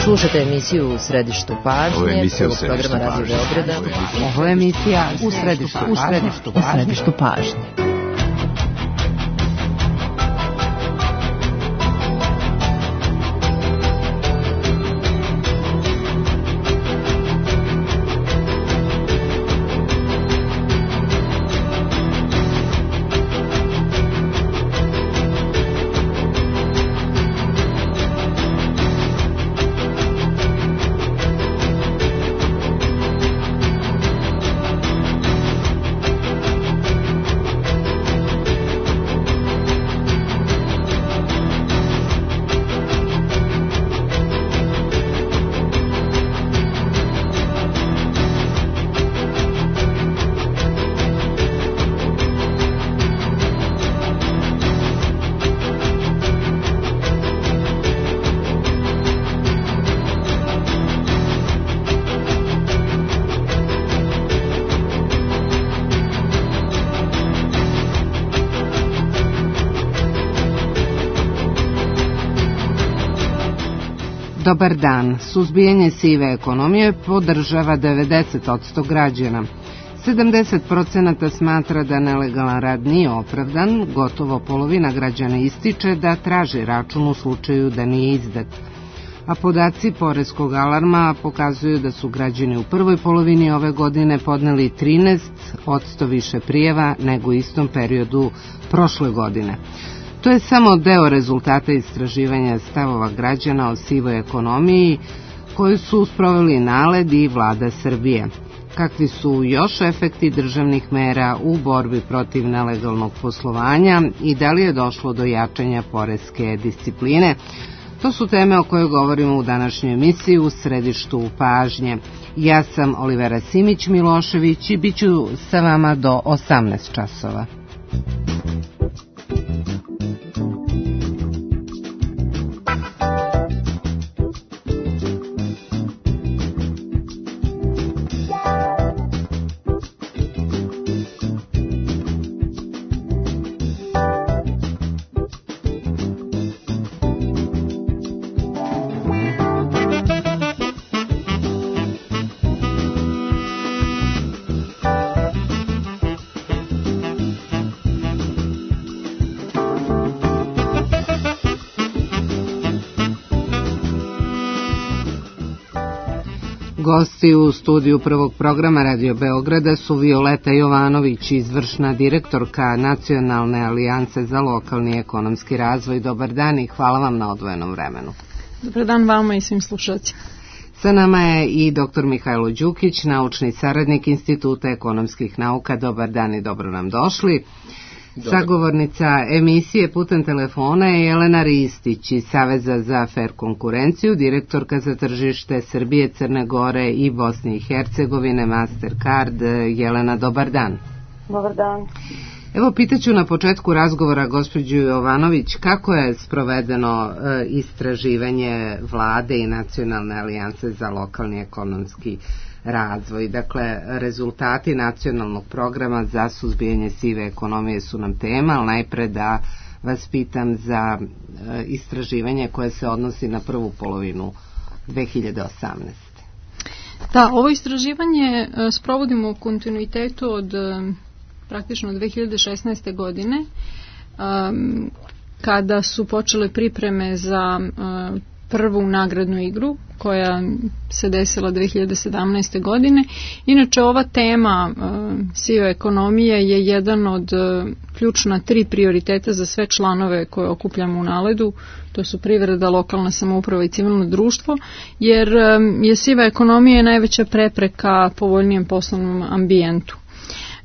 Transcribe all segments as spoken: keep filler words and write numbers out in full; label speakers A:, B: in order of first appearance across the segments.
A: Slušate emisiju U središtu pažnje, prvog programa Radio Beograda.
B: Ovo je emisija U središtu pažnje. U središtu pažnje. Dobar dan. Suzbijanje sive ekonomije podržava devedeset posto građana. sedamdeset posto smatra da nelegalan rad nije opravdan, gotovo polovina građana ističe da traži račun u slučaju da nije izdat. A podaci poreskog alarma pokazuju da su građani u prvoj polovini ove godine podneli trinaest posto više prijava nego u istom periodu prošle godine. To je samo deo rezultata istraživanja stavova građana o sivoj ekonomiji koju su sproveli NALED i Vlada Srbije. Kakvi su još efekti državnih mera u borbi protiv nelegalnog poslovanja i da li je došlo do jačanja poreske discipline? To su teme o kojoj govorimo u današnjoj emisiji U središtu pažnje. Ja sam Olivera Simić-Milošević i bit ću sa vama do osamnaest časova. Gosti u studiju prvog programa Radio Beograda su Violeta Jovanović, izvršna direktorka Nacionalne alijanse za lokalni ekonomski razvoj. Dobar dan i hvala vam na odvojenom vremenu.
C: Dobar dan vama i svim slušalcima.
A: Sa nama je i doktor Mihajlo Đukić, naučni saradnik Instituta ekonomskih nauka. Dobar dan i dobro nam došli. Dobar. Sagovornica emisije putem telefona je Jelena Ristić iz Saveza za fer konkurenciju, direktorka za tržište Srbije, Crne Gore i Bosne i Hercegovine, Mastercard. Jelena, dobar dan.
D: Dobar dan.
A: Evo, pitaću na početku razgovora gospođu Jovanović kako je sprovedeno e, istraživanje Vlade i Nacionalne alijanse za lokalni ekonomski razvoj. Dakle, rezultati nacionalnog programa za suzbijanje sive ekonomije su nam tema, ali najpre da vas pitam za e, istraživanje koje se odnosi na prvu polovinu dve hiljade osamnaeste.
C: Da, ovo istraživanje e, sprovodimo u kontinuitetu od e, praktično dve hiljade šesnaeste. godine, e, kada su počele pripreme za e, prvu nagradnu igru koja se desila dve hiljade sedamnaeste. godine. Inače, ova tema e, sive ekonomije je jedan od e, ključna tri prioriteta za sve članove koje okupljamo u NALED-u. To su privreda, lokalna samouprava i civilno društvo, jer e, je siva ekonomija najveća prepreka povoljnijem poslovnom ambijentu.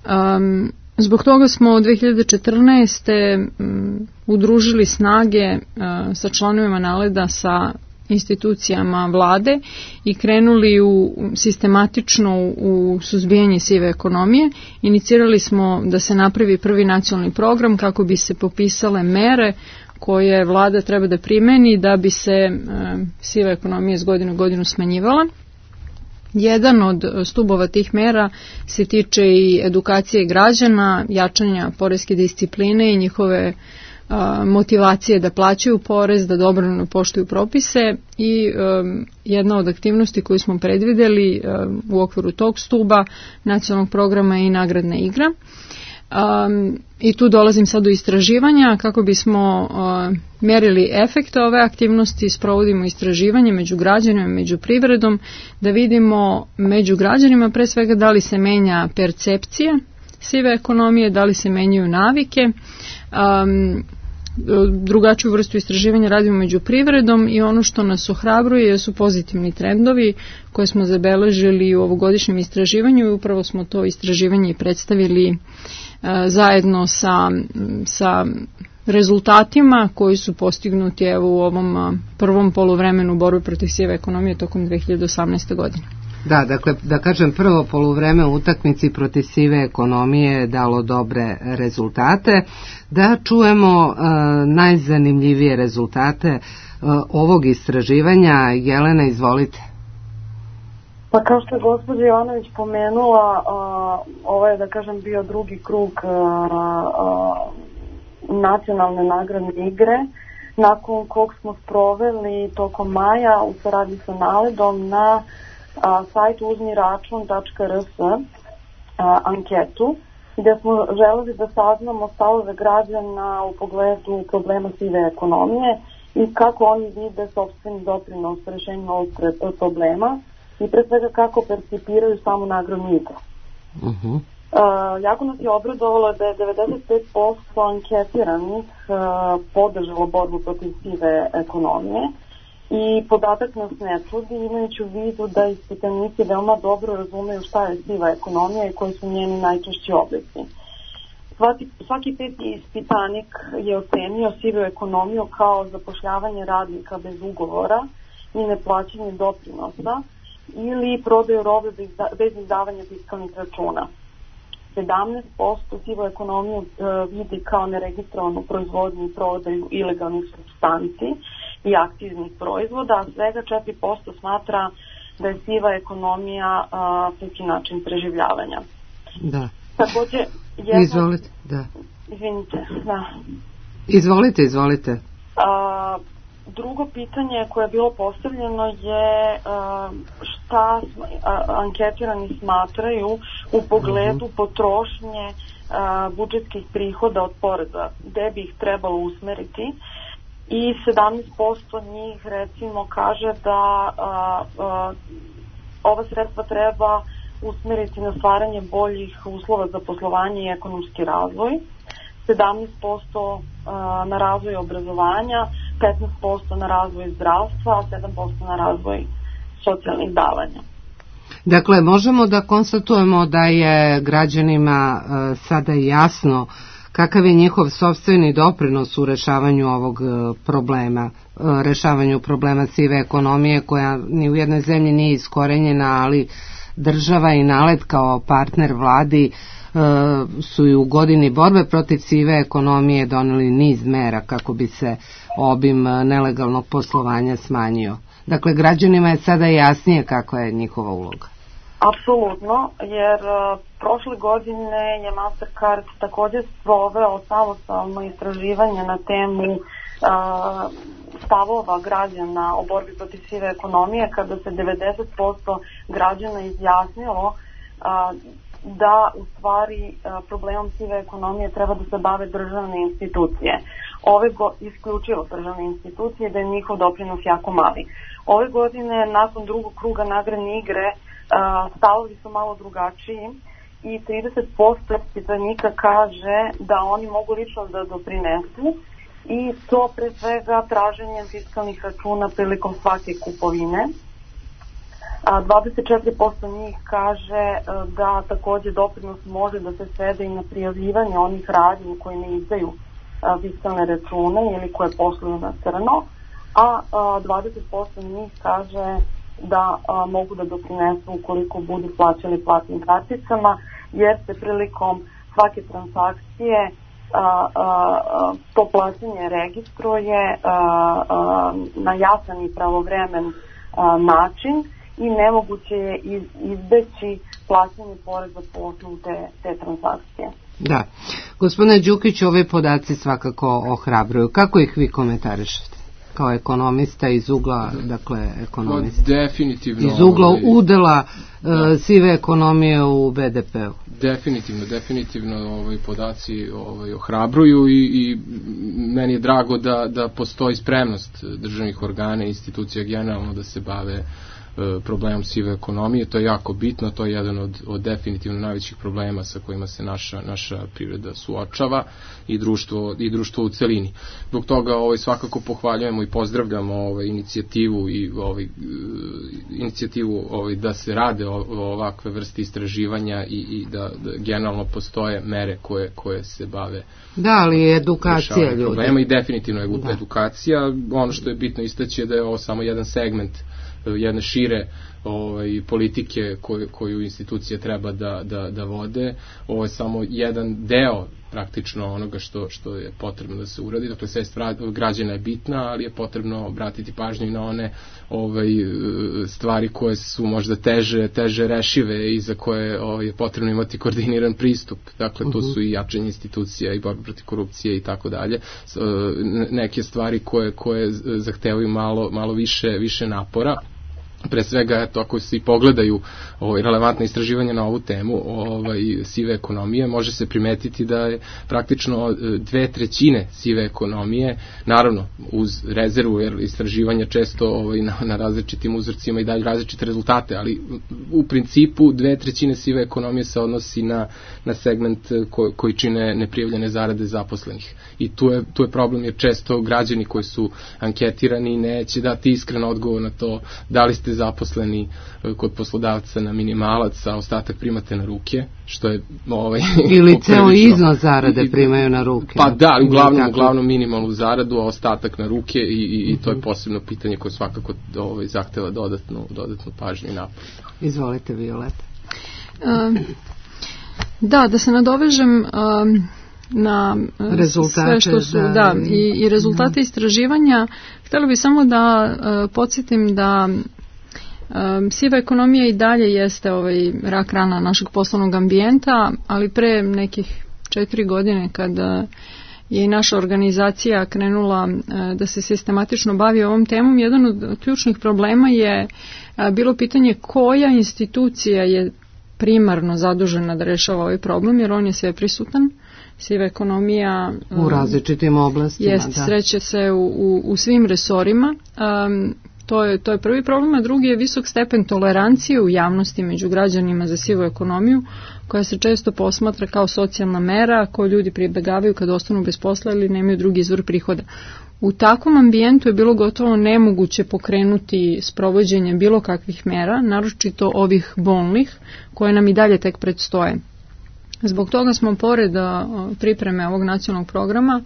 C: Um, Zbog toga smo od dve hiljade četrnaeste. Um, udružili snage uh, sa članovima NALED-a sa institucijama vlade i krenuli u sistematično u suzbijanje sive ekonomije. Inicirali smo da se napravi prvi nacionalni program kako bi se popisale mere koje vlada treba da primeni da bi se uh, siva ekonomija iz godine u godinu smanjivala. Jedan od stubova tih mera se tiče i edukacije građana, jačanja poreske discipline i njihove motivacije da plaćaju porez, da dobrovoljno poštuju propise i um, jedna od aktivnosti koju smo predvideli um, u okviru tog stuba nacionalnog programa je i nagradna igra. Um, I tu dolazim sad do istraživanja kako bismo uh, mjerili efekte ove aktivnosti, sprovodimo istraživanje među građanima, među privredom, da vidimo među građanima pre svega da li se menja percepcija sive ekonomije, da li se menjaju navike. Um, drugačiju vrstu istraživanja radimo među privredom i ono što nas ohrabruje su pozitivni trendovi koje smo zabeležili u ovogodišnjem istraživanju i upravo smo to istraživanje predstavili uh, zajedno sa, sa rezultatima koji su postignuti evo u ovom uh, prvom poluvremenu borbe protiv sive ekonomije tokom dve hiljade osamnaeste. godine.
A: Da, dakle, da kažem, prvo poluvreme u utakmici protiv sive ekonomije je dalo dobre rezultate. Da čujemo uh, najzanimljivije rezultate uh, ovog istraživanja. Jelena, izvolite.
D: Pa kao što je gospođa Jovanović pomenula, uh, ovo je, da kažem, bio drugi krug uh, uh, nacionalne nagradne igre, nakon kog smo sproveli tokom maja u saradnji sa Naledom na a, sajtu uzmi račun tačka r s a, anketu gdje smo želeli da saznamo stavove građana u pogledu problema sive ekonomije i kako oni vide sopstveni doprinos rešenju ovog problema i pre svega kako percipiraju samu nagradnu igru.
A: Uh-huh.
D: Uh, jako nas je obradovalo da je devedeset pet posto anketiranih uh, podržalo borbu protiv sive ekonomije. I podatak nas ne čudi, imajući u vidu da ispitanici veoma dobro razumeju šta je siva ekonomija i koji su njeni najčešći oblici. Svaki, svaki peti ispitanik je ocenio sivu ekonomiju kao zapošljavanje radnika bez ugovora i neplaćanje doprinosa ili prodaju robe bez, bez izdavanja fiskalnih računa. sedamnaest posto sivu ekonomiju e, vidi kao neregistrovanu proizvodnju i prodaju ilegalnih supstanci i aktivnih proizvoda, a svega četiri posto smatra da je siva ekonomija neki način preživljavanja.
A: Da.
D: Takođe, jedno...
A: Izvolite, da.
D: Izvinite, da.
A: Izvolite, izvolite.
D: A, drugo pitanje koje je bilo postavljeno je a, šta a, anketirani smatraju u pogledu uh-huh. potrošnje a, budžetskih prihoda od poreza, gde bi ih trebalo usmeriti. I sedamnaest posto njih recimo kaže da a, a, ova sredstva treba usmeriti na stvaranje boljih uslova za poslovanje i ekonomski razvoj, sedamnaest posto a, na razvoj obrazovanja, petnaest posto na razvoj zdravstva, a sedam posto na razvoj socijalnih davanja.
A: Dakle, možemo da konstatujemo da je građanima a, sada jasno kakav je njihov sopstveni doprinos u rešavanju ovog problema, rešavanju problema sive ekonomije koja ni u jednoj zemlji nije iskorenjena, ali država i Nalet kao partner vladi su i u godini borbe protiv sive ekonomije doneli niz mera kako bi se obim nelegalnog poslovanja smanjio. Dakle, građanima je sada jasnije kakva je njihova uloga.
D: Apsolutno, jer uh, prošle godine je Mastercard također sproveo samostalno istraživanje na temu uh, stavova građana o borbi protiv sive ekonomije, kada se devedeset posto građana izjasnilo uh, da u stvari uh, problemom sive ekonomije treba da se bave državne institucije. Ove go- isključivo državne institucije, da je njihov doprinos jako mali. Ove godine, nakon drugog kruga nagradne igre, Uh, stavovi su malo drugačiji i trideset posto ispitanika kaže da oni mogu lično da doprinesu i to pre svega traženjem fiskalnih računa prilikom svake kupovine. A dvadeset četiri posto njih kaže uh, da takođe doprinos može da se svede i na prijavljivanje onih radnji koji ne izdaju uh, fiskalne račune ili koje posluju na crno, a uh, dvadeset posto njih kaže da a, mogu da doprinesu ukoliko budu plaćali platnim karticama, jer se prilikom svake transakcije a, a, a, to plaćanje registruje a, a, na jasan i pravovremen a, način i nemoguće je iz, izbeći plaćanje poreza po osnovu te, te transakcije.
A: Da. Gospodine Đukić, ove podaci svakako ohrabruju. Kako ih vi komentarišete? Kao ekonomista iz ugla, dakle, ekonomista.
E: Definitivno.
A: Iz ugla ovaj, udela uh, sive ekonomije u be de pe u.
E: Definitivno, definitivno ovaj, podaci ovaj, ohrabruju i, i meni je drago da, da postoji spremnost državnih organa i institucija generalno da se bave problemom sive ekonomije. To je jako bitno, to je jedan od, od definitivno najvećih problema sa kojima se naša, naša privreda suočava i društvo, i društvo u celini. Zbog toga ovaj, svakako pohvaljujemo i pozdravljamo ovaj, inicijativu i ovaj, inicijativu ovaj, da se rade o, o ovakve vrste istraživanja i, i da, da generalno postoje mere koje, koje se bave.
A: Da, ali je edukacija ljudi.
E: Problema i definitivno je da. edukacija. Ono što je bitno istaći je da je ovo samo jedan segment jedne šire ovaj, politike koju, koju institucije treba da, da, da vode. Ovo je samo jedan deo praktično onoga što, što je potrebno da se uradi. Dakle, svest građana je bitna, ali je potrebno obratiti pažnju i na one ovaj, stvari koje su možda teže, teže rešive i za koje ovaj, je potrebno imati koordiniran pristup. Dakle, to su i jačanje institucija i borba protiv korupcije i tako dalje. Neke stvari koje, koje zahtevaju malo, malo više, više napora. Pre svega, eto, ako se i pogledaju ovaj, relevantne istraživanja na ovu temu ovaj, sive ekonomije, može se primetiti da je praktično dve trećine sive ekonomije, naravno uz rezervu, jer istraživanja često ovaj, na, na različitim uzorcima i daju različite rezultate, ali u principu dve trećine sive ekonomije se odnosi na, na segment ko, koji čine neprijavljene zarade zaposlenih. I tu je, tu je problem, jer često građani koji su anketirani neće dati iskren odgovor na to da li ste zaposleni kod poslodavca na minimalac, a ostatak primate na ruke, što je ovaj,
A: ili ceo iznos zarade primaju na ruke.
E: Pa da, uglavnom, uglavnom minimalnu zaradu, a ostatak na ruke i, i, i to je posebno pitanje koje svakako ovaj, zahteva dodatnu, dodatnu pažnju i napor.
A: Izvolite, Violeta.
C: Um, da, da se nadovežem um, na rezultate, sve što su, da, da i, i rezultate da. istraživanja. Htjela bih samo da uh, podsjetim da Um, siva ekonomija i dalje jeste ovaj rak rana našeg poslovnog ambijenta, ali pre nekih četiri godine kada je i naša organizacija krenula uh, da se sistematično bavi ovom temom, jedan od ključnih problema je uh, bilo pitanje koja institucija je primarno zadužena da rešava ovaj problem, jer on je sve prisutan. Siva ekonomija
A: um, u različitim oblastima
C: jest, da. Sreće se u, u, u svim resorima. Um, To je, to je prvi problem, a drugi je visok stepen tolerancije u javnosti među građanima za sivu ekonomiju, koja se često posmatra kao socijalna mera koju ljudi pribegavaju kad ostanu bez posla ili nemaju drugi izvor prihoda. U takvom ambijentu je bilo gotovo nemoguće pokrenuti sprovođenje bilo kakvih mera, naročito ovih bolnih, koje nam i dalje tek predstoje. Zbog toga smo pored pripreme ovog nacionalnog programa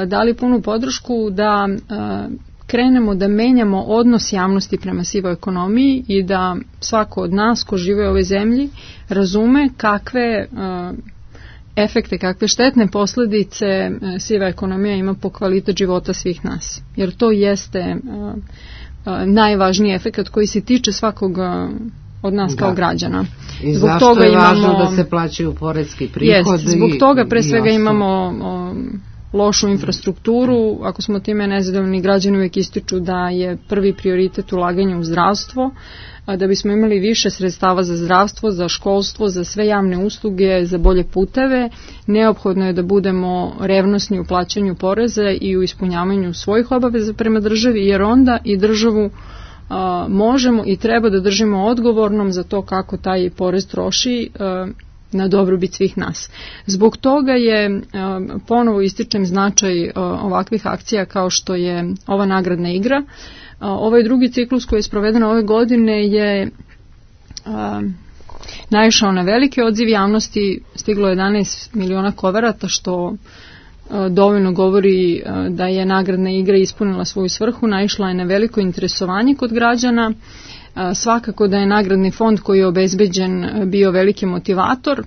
C: dali punu podršku da krenemo da menjamo odnos javnosti prema sivoj ekonomiji i da svako od nas ko žive u ovoj zemlji razume kakve uh, efekte, kakve štetne posljedice uh, siva ekonomija ima po kvalitet života svih nas. Jer to jeste uh, uh, najvažniji efekt koji se tiče svakog uh, od nas da. Kao građana.
A: I zbog zašto toga je imamo, važno da se plaćaju poreski prihod?
C: Jest, zbog toga pre svega imamo um, lošu infrastrukturu. Ako smo time nezadovoljni, građani uvijek ističu da je prvi prioritet ulaganje u zdravstvo, a da bismo imali više sredstava za zdravstvo, za školstvo, za sve javne usluge, za bolje puteve, neophodno je da budemo revnosni u plaćanju poreza i u ispunjavanju svojih obaveza prema državi, jer onda i državu a, možemo i treba da držimo odgovornom za to kako taj porez troši a, na dobrobit svih nas. Zbog toga je, ponovo ističem značaj ovakvih akcija kao što je ova nagradna igra. Ovaj drugi ciklus koji je sproveden ove godine je naišao na veliki odziv javnosti, stiglo jedanaest miliona koverata, što dovoljno govori da je nagradna igra ispunila svoju svrhu, naišla je na veliko interesovanje kod građana. Svakako da je nagradni fond koji je obezbeđen bio veliki motivator,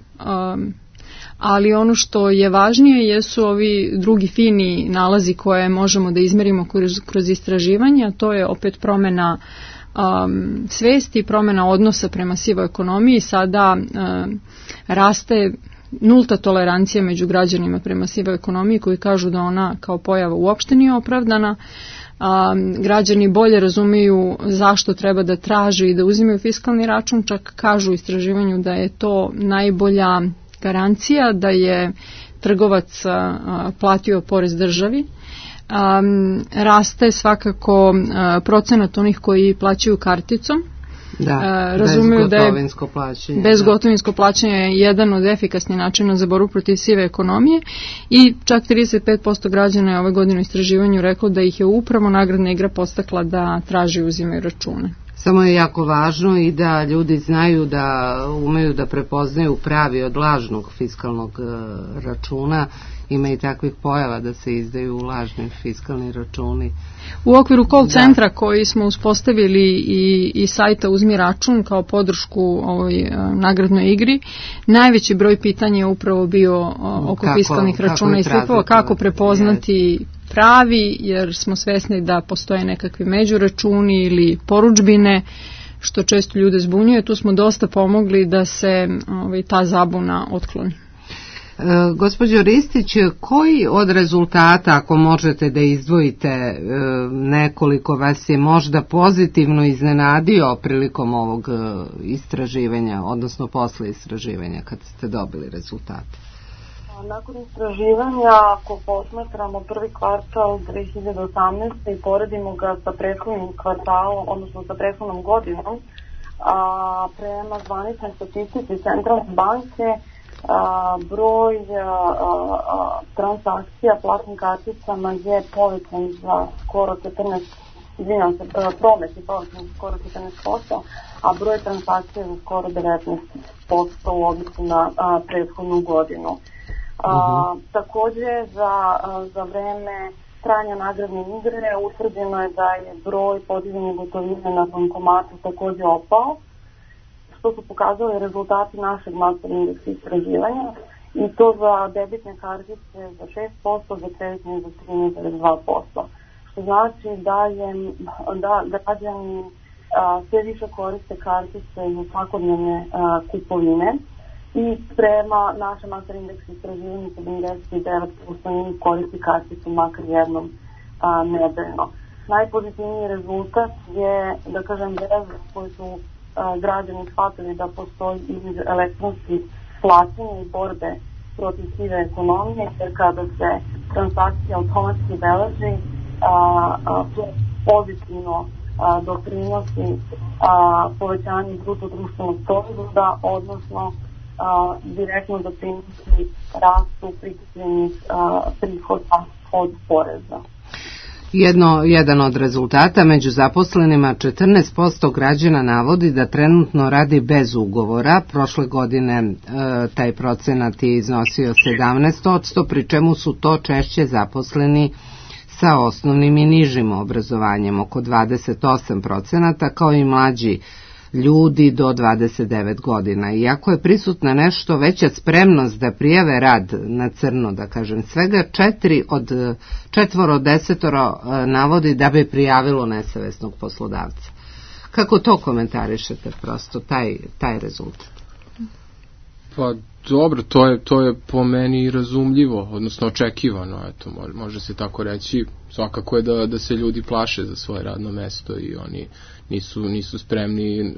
C: ali ono što je važnije jesu ovi drugi fini nalazi koje možemo da izmerimo kroz, kroz istraživanja. To je opet promjena um, svesti, promjena odnosa prema sivoj ekonomiji. Sada um, raste nulta tolerancija među građanima prema sivoj ekonomiji, koji kažu da ona kao pojava uopšte nije opravdana. A, građani bolje razumiju zašto treba da traže i da uzimaju fiskalni račun, čak kažu u istraživanju da je to najbolja garancija da je trgovac a, platio porez državi. A, raste svakako a, procenat onih koji plaćaju karticom.
A: Da, razumiju da je plaćanje,
C: bezgotovinsko plaćanje je jedan od efikasnih načina za borbu protiv sive ekonomije i čak trideset pet posto građana je ove godine u istraživanju reklo da ih je upravo nagradna igra podstakla da traži i uzimaju račune.
A: Samo je jako važno i da ljudi znaju da umeju da prepoznaju pravi od lažnog fiskalnog računa. Ima i takvih pojava da se izdaju lažni fiskalni računi.
C: U okviru call centra koji smo uspostavili i, i sajta Uzmi račun kao podršku ovoj nagradnoj igri, najveći broj pitanja je upravo bio oko kako, fiskalnih računa i stripova, kako prepoznati pravi, jer smo svesni da postoje nekakvi međuračuni ili poručbine, što često ljude zbunjuje. Tu smo dosta pomogli da se ovaj, ta zabuna otkloni.
A: E, gospođo Ristić, koji od rezultata, ako možete da izdvojite e, nekoliko, vas je možda pozitivno iznenadio prilikom ovog e, istraživanja, odnosno posle istraživanja kad ste dobili rezultate?
D: Nakon istraživanja, ako posmatramo prvi kvartal dve hiljade osamnaeste i poredimo ga sa prethodnim kvartalom, odnosno sa prethodnom godinom, a, prema zvaničnoj statistici Centralne banke, a, broj a, a, transakcija platnim karticama je povećan za skoro četrnaest, izvinjam se, promet je povećan za skoro četrnaest posto, a broj transakcija za skoro devetnaest posto u odnosu na a, prethodnu godinu. A, uh-huh. Takođe za, za vreme trajanja nagradne igre utvrđeno je da je broj podiženih gotovine na bankomatu takođe opao, što su pokazali rezultati našeg master indeksa istraživanja, i to za debitne kartice za šest posto, za kreditne za trinaest zarez dva posto, što znači da je da građani a, sve više koriste kartice za svakodnevne a, kupovine. I prema našem master indeksu istraživanju sedamdeset devet posto njih koristi karticu makar jednom a, nedeljno. Najpozitivniji rezultat je, da kažem, veza koju su a, građani shvatili da postoji između elektronskih plaćanja i borbe protiv sive ekonomije, jer kada se transakcija automatski beleži, a, a, to pozitivno a, doprinosi a, povećanju bruto društvenog proizvoda, odnosno A, direktno doprinosi rastu prikupljenih prihoda od poreza.
A: Jedno, jedan od rezultata među zaposlenima, četrnaest posto građana navodi da trenutno radi bez ugovora. Prošle godine e, taj procenat je iznosio sedamnaest posto, pri čemu su to češće zaposleni sa osnovnim i nižim obrazovanjem, oko dvadeset osam procenata, kao i mlađi ljudi do dvadeset devet godina. Iako je prisutna nešto veća spremnost da prijave rad na crno, da kažem, svega četiri od četvoro od desetoro navodi da bi prijavilo nesavesnog poslodavca. Kako to komentarišete, prosto taj, taj rezultat?
E: Pa dobro, to je, to je po meni razumljivo, odnosno očekivano, eto, može se tako reći. Svakako je da, da se ljudi plaše za svoje radno mesto i oni nisu, nisu spremni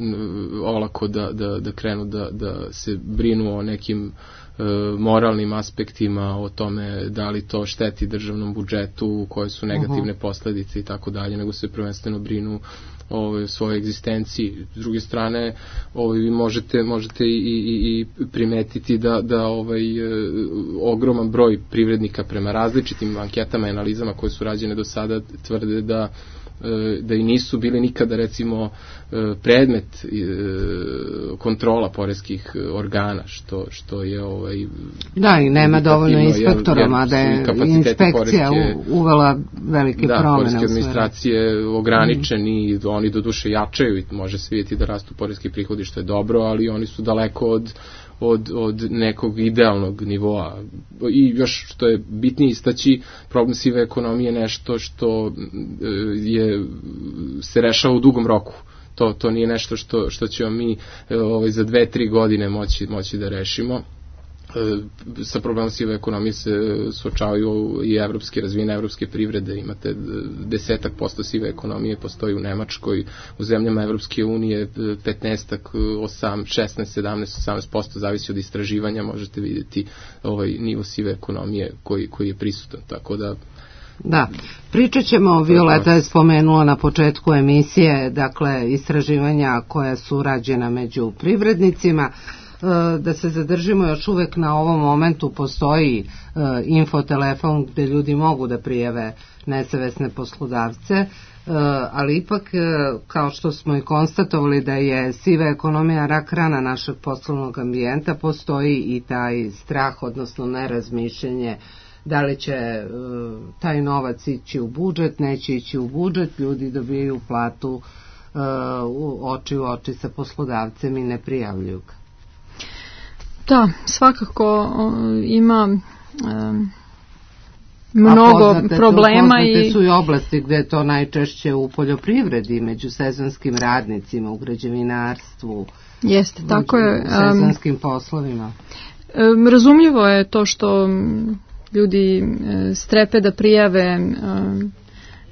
E: olako da, da, da krenu da, da se brinu o nekim e, moralnim aspektima, o tome da li to šteti državnom budžetu, koje su negativne uh-huh. posledice i tako dalje, nego se prvenstveno brinu o svojoj egzistenciji. S druge strane, ovaj, vi možete, možete i, i, i primetiti da, da ovaj, e, ogroman broj privrednika prema različitim anketama i analizama koje su rađene do sada tvrde da da i nisu bili nikada, recimo, predmet kontrola poreskih organa, što, što je ovaj...
A: Da, i nema dovoljno inspektora, mada je inspekcija poreske, uvela velike da, promene. Da, poreske administracije ograničeni, mm. oni do duše jačaju i može se vidjeti da rastu poreski prihodi, što je dobro, ali oni su daleko od Od, od nekog idealnog nivoa. I još što je bitnije istaći, problem sive ekonomije je nešto što je, se rešava u dugom roku. To, to nije nešto što, što ćemo mi ovaj, za dve, tri godine moći, moći da rešimo.
E: sa problemom sive ekonomije se suočavaju i evropske, razvijene evropske privrede, imate desetak posto sive ekonomije postoji u Nemačkoj, u zemljama Evropske unije petnaestak, osam, šesnaest, sedamnaest, osamnaest posto zavisi od istraživanja, možete vidjeti ovaj nivo sive ekonomije koji, koji je prisutan, tako da
B: Da, pričat ćemo, Violeta je spomenula na početku emisije, dakle, istraživanja koja su rađena među privrednicima. Da se zadržimo još uvek na ovom momentu, postoji infotelefon gde ljudi mogu da prijave nesavesne poslodavce, ali ipak, kao što smo i konstatovali da je siva ekonomija rak rana našeg poslovnog ambijenta, postoji i taj strah, odnosno nerazmišljenje da li će taj novac ići u budžet, neće ići u budžet, ljudi dobijaju platu u oči u oči sa poslodavcem i ne prijavljuju ga.
C: Da, svakako ima um, mnogo poznate, problema.
B: Poznate
C: i
B: su i oblasti gde je to najčešće u poljoprivredi, među sezonskim radnicima, u građevinarstvu.
C: Jeste, tako je.
B: U sezonskim um, poslovima.
C: Um, razumljivo je to što ljudi strepe da prijave um,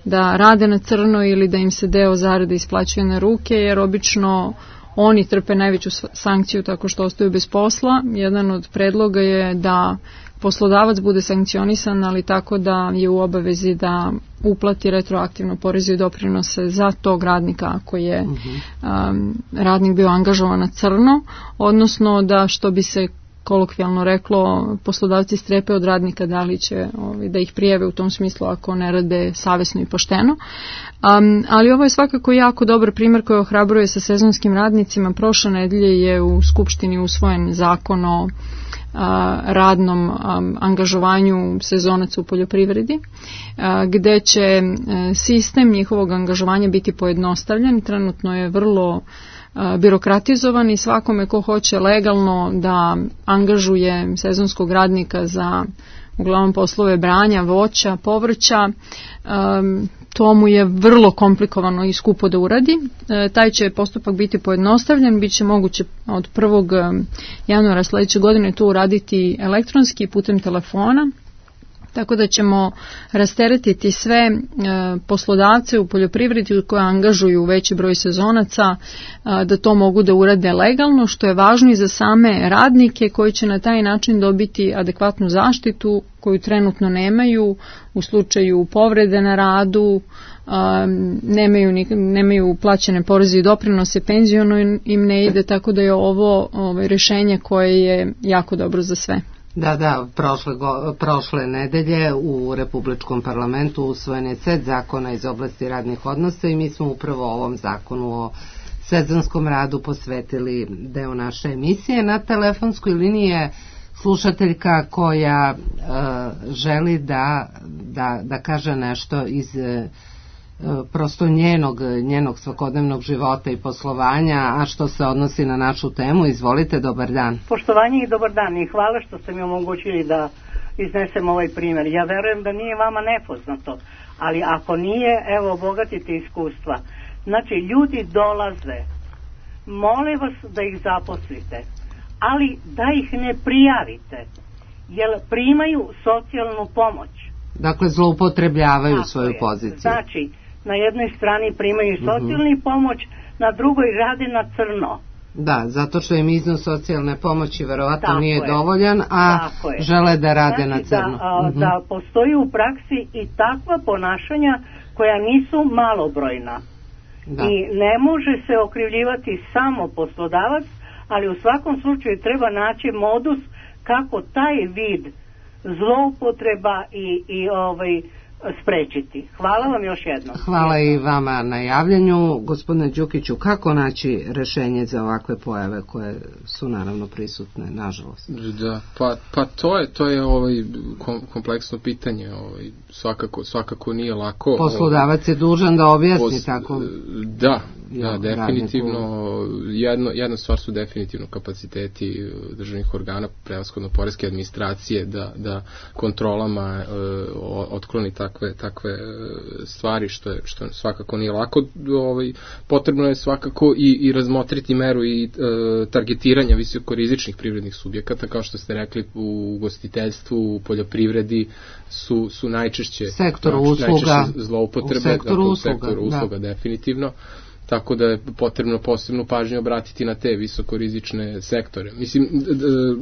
C: da rade na crno ili da im se deo zarade isplaćuje na ruke, jer obično oni trpe najveću sankciju tako što ostaju bez posla. Jedan od predloga je da poslodavac bude sankcionisan, ali tako da je u obavezi da uplati retroaktivno poreze i doprinose za tog radnika ako je uh-huh. um, radnik bio angažovan na crno, odnosno da, što bi se kolokvijalno reklo, poslodavci strepe od radnika da li će ovaj, da ih prijave u tom smislu ako ne rade savesno i pošteno. Um, ali ovo je svakako jako dobar primjer koji ohrabruje sa sezonskim radnicima. Prošle nedelje je u Skupštini usvojen zakon o a, radnom a, angažovanju sezonaca u poljoprivredi, a, gde će a, sistem njihovog angažovanja biti pojednostavljen. Trenutno je vrlo birokratizovan i svakome ko hoće legalno da angažuje sezonskog radnika za uglavnom poslove branja, voća, povrća, to mu je vrlo komplikovano i skupo da uradi. Taj će postupak biti pojednostavljen, bit će moguće od prvog januara sledeće godine to uraditi elektronski putem telefona, tako da ćemo rasteretiti sve e, poslodavce u poljoprivredi koji angažuju veći broj sezonaca e, da to mogu da urade legalno, što je važno i za same radnike koji će na taj način dobiti adekvatnu zaštitu koju trenutno nemaju u slučaju povrede na radu, e, nemaju, nemaju plaćene poreze i doprinose, penziono im ne ide, tako da je ovo, ovo rješenje koje je jako dobro za sve.
B: Da, da, prošle, go, prošle nedelje u Republičkom parlamentu usvojen je set zakona iz oblasti radnih odnosa i mi smo upravo ovom zakonu o sezonskom radu posvetili deo naše emisije. Na telefonskoj liniji je slušateljka koja uh, želi da, da, da kaže nešto iz uh, prosto njenog, njenog svakodnevnog života i poslovanja, a što se odnosi na našu temu. Izvolite, dobar dan.
F: Poštovanje i dobar dan i hvala što ste mi omogućili da iznesem ovaj primjer. Ja verujem da nije vama nepoznato, ali ako nije, evo, obogatite iskustva. Znači, ljudi dolaze, mole vas da ih zaposlite, ali da ih ne prijavite, jer primaju socijalnu pomoć.
B: Dakle, zloupotrebljavaju Tako svoju je. poziciju.
F: Znači, na jednoj strani primaju socijalni uh-huh. pomoć, na drugoj rade na crno.
B: Da, zato što im iznos socijalne pomoći verovatno Tako nije je. dovoljan, a žele da rade
F: znači,
B: na crno.
F: Da, a, uh-huh. da postoji u praksi i takva ponašanja koja nisu malobrojna. Da. I ne može se okrivljivati samo poslodavac, ali u svakom slučaju treba naći modus kako taj vid zloupotreba i, i ovaj sprečiti. Hvala vam još jednom.
B: Hvala i vama na javljanju. Gospodine Đukiću, kako naći rešenje za ovakve pojave koje su naravno prisutne, nažalost?
E: Da, pa, pa to je to je ovaj kompleksno pitanje, ovaj svakako svakako nije lako.
B: Poslodavac je dužan da objasni
E: Pos,
B: tako.
E: Da, Da, definitivno, jedno, jedna stvar su definitivno kapaciteti državnih organa, prevashodno poreske administracije, da, da kontrolama e, otkloni takve, takve stvari, što, je, što svakako nije lako. Ovaj, potrebno je svakako i, i razmotriti meru i e, targetiranja visokorizičnih privrednih subjekata, kao što ste rekli, u ugostiteljstvu, u poljoprivredi su, su najčešće,
A: sektor
E: znači,
A: usluga,
E: najčešće zloupotrebe,
A: u sektoru
E: dakle,
A: usluga,
E: u sektoru usluga
A: da.
E: definitivno. Tako da je potrebno posebnu pažnju obratiti na te visokorizične sektore. Mislim,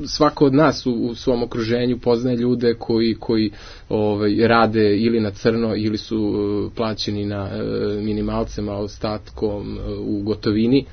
E: svako od nas u, u svom okruženju poznaje ljude koji, koji ovaj, rade ili na crno ili su plaćeni na minimalcem, a ostatkom u gotovini.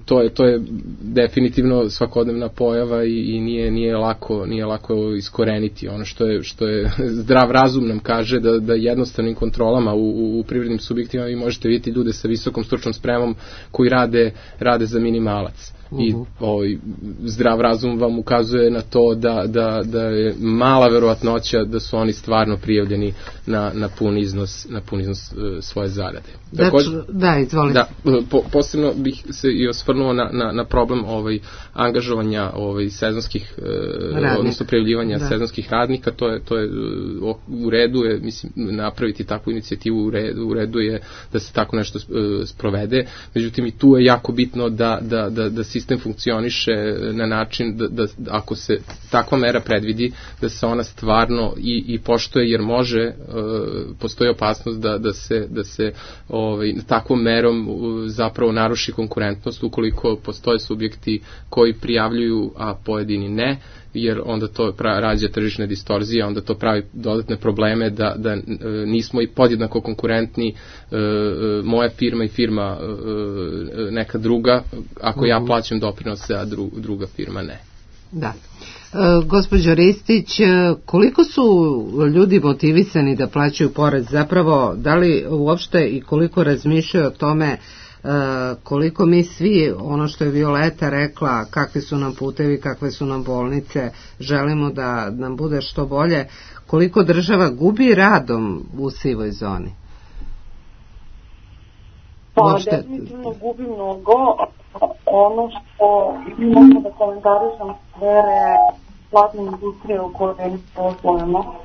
E: To je, to je definitivno svakodnevna pojava i, i nije, nije, lako, nije lako iskoreniti. Ono što je, što je zdrav razum nam kaže da, da jednostavnim kontrolama u, u privrednim subjektima vi možete vidjeti ljude sa visokom stručnom spremom koji rade, rade za minimalac. I ovaj, zdrav razum vam ukazuje na to da, da, da je mala verovatnoća da su oni stvarno prijavljeni na, na pun iznos, na pun iznos uh, svoje zarade.
A: Također, da, izvolite.
E: Da, po, posebno bih se i osvrnuo na, na, na problem ovaj, angažovanja ovaj, sezonskih, uh, odnosno prijavljivanja da. sezonskih radnika. To je, to je uh, u redu je, mislim, napraviti takvu inicijativu u redu, u redu je da se tako nešto uh, sprovede. Međutim, i tu je jako bitno da, da, da, da sistem funkcioniše na način da, da ako se takva mera predvidi, da se ona stvarno i, i poštuje, jer može, e, postoji opasnost da, da se, da se ovaj, takvom merom zapravo naruši konkurentnost ukoliko postoje subjekti koji prijavljuju, a pojedini ne, jer onda to pra, rađa tržišne distorzije, onda to pravi dodatne probleme da, da e, nismo i podjednako konkurentni, e, e, moja firma i firma e, neka druga, ako uh-huh. ja plaćam doprinose, a dru, druga firma ne.
A: Da. E, gospođo Ristić, koliko su ljudi motivisani da plaćaju porez? Zapravo, da li uopšte i koliko razmišljaju o tome koliko mi svi, ono što je Violeta rekla, kakvi su nam putevi, kakve su nam bolnice, želimo da nam bude što bolje, koliko država gubi radom u sivoj zoni?
D: Pa, uopšte... definitivno gubi mnogo. Ono što imamo da komentarišem sfere platne industrije u kojoj poslujemo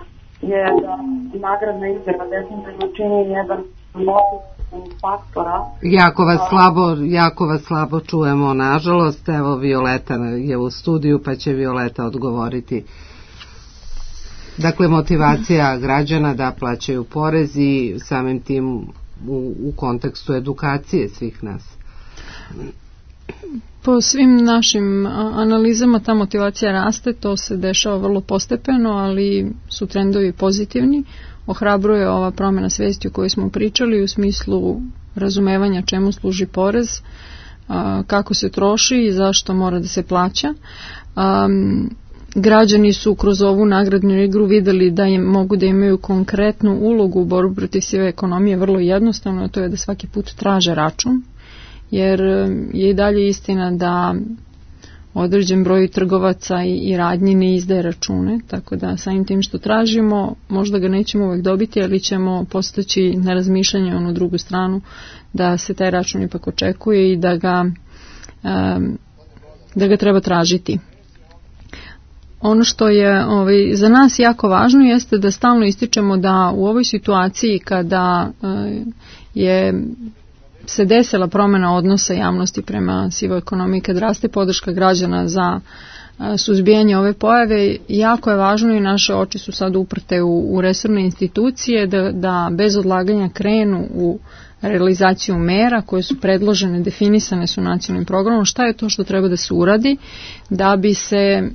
D: je da nagradna igra definitivno čini jedan motiv faktora.
A: Jako vas slabo, jako vas slabo čujemo, nažalost. Evo, Violeta je u studiju, pa će Violeta odgovoriti. Dakle, motivacija građana da plaćaju porez i samim tim u, u kontekstu edukacije svih nas.
C: Po svim našim analizama ta motivacija raste, to se dešava vrlo postepeno, ali su trendovi pozitivni. Ohrabruje ova promjena svijesti o kojoj smo pričali u smislu razumevanja čemu služi porez, kako se troši i zašto mora da se plaća. Građani su kroz ovu nagradnu igru vidjeli da im mogu da imaju konkretnu ulogu u borbu protiv sive ekonomije, vrlo jednostavno, a to je da svaki put traže račun, jer je i dalje istina da određen broj trgovaca i, i radnji ne izdaje račune, tako da samim tim što tražimo, možda ga nećemo uvijek dobiti, ali ćemo postaći na razmišljanje onu drugu stranu, da se taj račun ipak očekuje i da ga, um, da ga treba tražiti. Ono što je ovaj, za nas jako važno jeste da stalno ističemo da u ovoj situaciji kada uh, je se desila promjena odnosa javnosti prema sivoj ekonomiji, kad raste podrška građana za suzbijanje ove pojave, jako je važno i naše oči su sad uprte u, u resorne institucije da, da bez odlaganja krenu u realizaciju mera koje su predložene, definisane su nacionalnim programom. Šta je to što treba da se uradi da bi se e,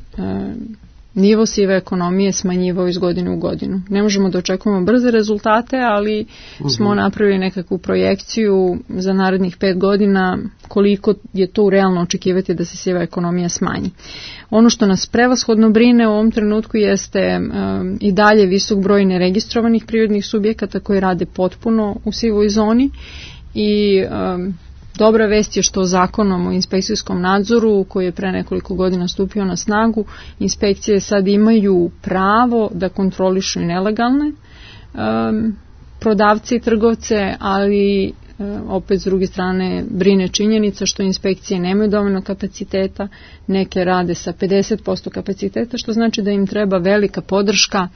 C: nivo sive ekonomije smanjivao iz godine u godinu. Ne možemo da očekujemo brze rezultate, ali uh-huh. smo napravili nekakvu projekciju za narednih pet godina koliko je to realno očekivati da se siva ekonomija smanji. Ono što nas prevashodno brine u ovom trenutku jeste um, i dalje visok broj neregistrovanih privrednih subjekata koji rade potpuno u sivoj zoni i um, dobra vest je što zakonom o inspekcijskom nadzoru koji je pre nekoliko godina stupio na snagu, inspekcije sad imaju pravo da kontrolišu i nelegalne um, prodavce i trgovce, ali opet s druge strane brine činjenica što inspekcije nemaju dovoljno kapaciteta, neke rade sa pedeset posto kapaciteta, što znači da im treba velika podrška,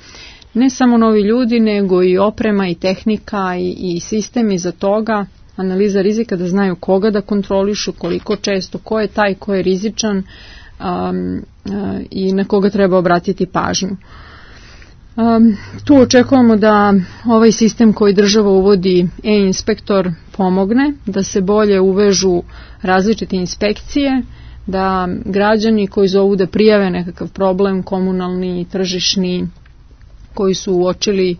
C: ne samo novi ljudi, nego i oprema i tehnika i, i sistemi za toga, analiza rizika, da znaju koga da kontrolišu, koliko često, ko je taj, ko je rizičan um, uh, i na koga treba obratiti pažnju. Um, tu očekujemo da ovaj sistem koji država uvodi, e-inspektor, pomogne, da se bolje uvežu različite inspekcije, da građani koji zovu da prijave nekakav problem, komunalni, tržišni, koji su uočili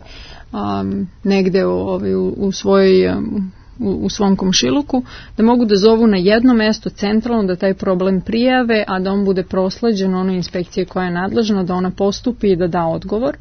C: um, negde ovaj, u, u, svoj, um, u, u svom komšiluku, da mogu da zovu na jedno mesto centralno, da taj problem prijave, a da on bude prosleđen onoj inspekcije koja je nadležna, da ona postupi i da da odgovor.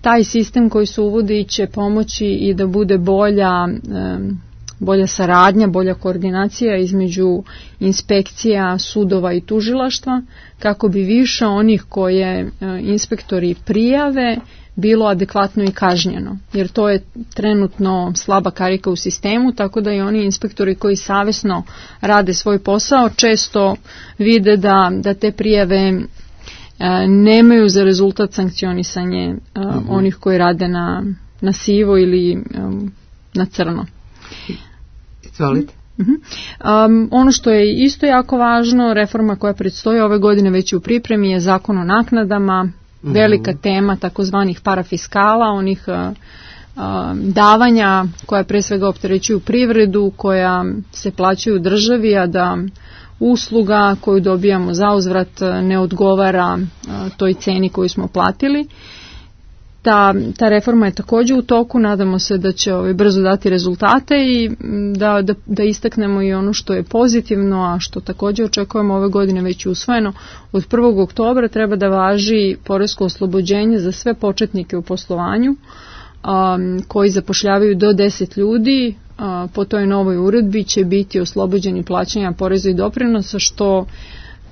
C: Taj sistem koji se uvodi će pomoći i da bude bolja, um, bolja saradnja, bolja koordinacija između inspekcija, sudova i tužilaštva, kako bi više onih koje uh, inspektori prijave bilo adekvatno i kažnjeno, jer to je trenutno slaba karika u sistemu, tako da i oni inspektori koji savesno rade svoj posao često vide da, da te prijave e, nemaju za rezultat sankcionisanje e, mm-hmm. onih koji rade na, na sivo ili e, na crno.
A: Izvolite.
C: Mm-hmm. Um, ono što je isto jako važno, reforma koja predstoji ove godine već u pripremi, je zakon o naknadama. Velika tema takozvanih parafiskala, onih uh, uh, davanja koja pre svega opterećuju privredu, koja se plaćaju državi, a da usluga koju dobijamo za uzvrat ne odgovara uh, toj ceni koju smo platili. Ta, ta reforma je također u toku, nadamo se da će ovaj, brzo dati rezultate i da, da, da istaknemo i ono što je pozitivno, a što također očekujemo ove godine već usvojeno. Od prvog oktobra treba da važi poresko oslobođenje za sve početnike u poslovanju um, koji zapošljavaju do deset ljudi. Uh, po toj novoj uredbi će biti oslobođeni plaćanja poreza i doprinosa, što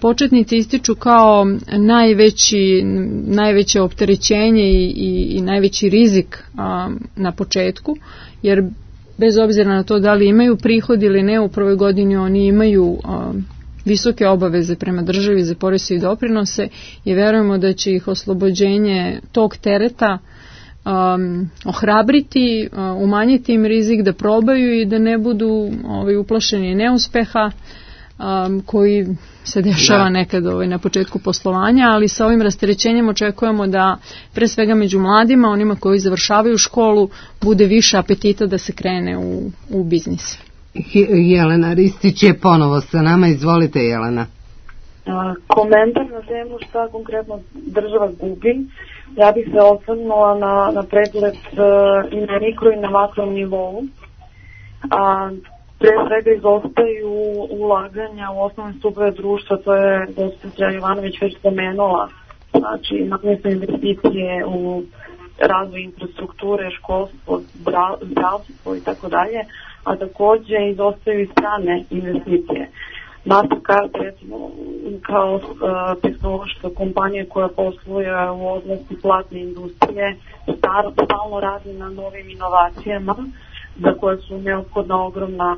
C: početnici ističu kao najveći, najveće opterećenje i, i, i najveći rizik a, na početku, jer bez obzira na to da li imaju prihod ili ne, u prvoj godini oni imaju a, visoke obaveze prema državi za poreze i doprinose i verujemo da će ih oslobođenje tog tereta um, ohrabriti, uh, umanjiti im rizik da probaju i da ne budu ovaj, uplašeni neuspeha um, koji se dešava nekad ovaj, na početku poslovanja, ali sa ovim rasterećenjem očekujemo da pre svega među mladima, onima koji završavaju školu, bude više apetita da se krene u, u biznis.
A: Jelena Ristić je ponovo sa nama, izvolite Jelena.
D: A, komentar na temu šta konkretno država gubi. Ja bih se osvrnula na, na pregled uh, i na mikro i na makro nivou. A, pre svega izostaju ulaganja u osnovne stupove društva, to je gospođa Jovanović već spomenula. Znači, imamo se investicije u razvoj infrastrukture, školstvo, zdravstvo i tako dalje, a takođe izostaju i strane investicije. Mastercard, recimo, kao uh, tehnološka kompanija koja posluje u oblasti platne industrije, star, stalno radi na novim inovacijama za koje su neophodna ogromna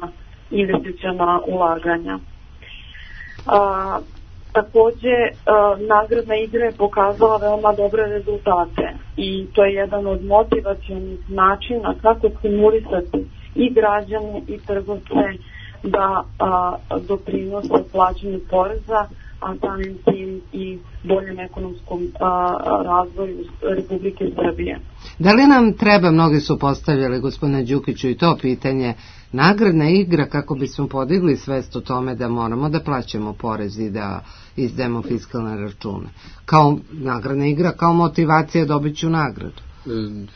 D: investiciona ulaganja. A, takođe, a, nagradna igra je pokazala veoma dobre rezultate i to je jedan od motivacionih načina kako stimulisati i građane i trgovce da a, doprinose plaćanju poreza, a samim tim i boljem ekonomskom a, razvoju Republike Srbije.
A: Da li nam treba, mnogi su postavljali gospodine Đukiću i to pitanje, nagradna igra kako bismo podigli svest o tome da moramo da plaćamo porez i da izdajemo fiskalne račune? Kao nagradna igra, kao motivacija dobit ću nagradu.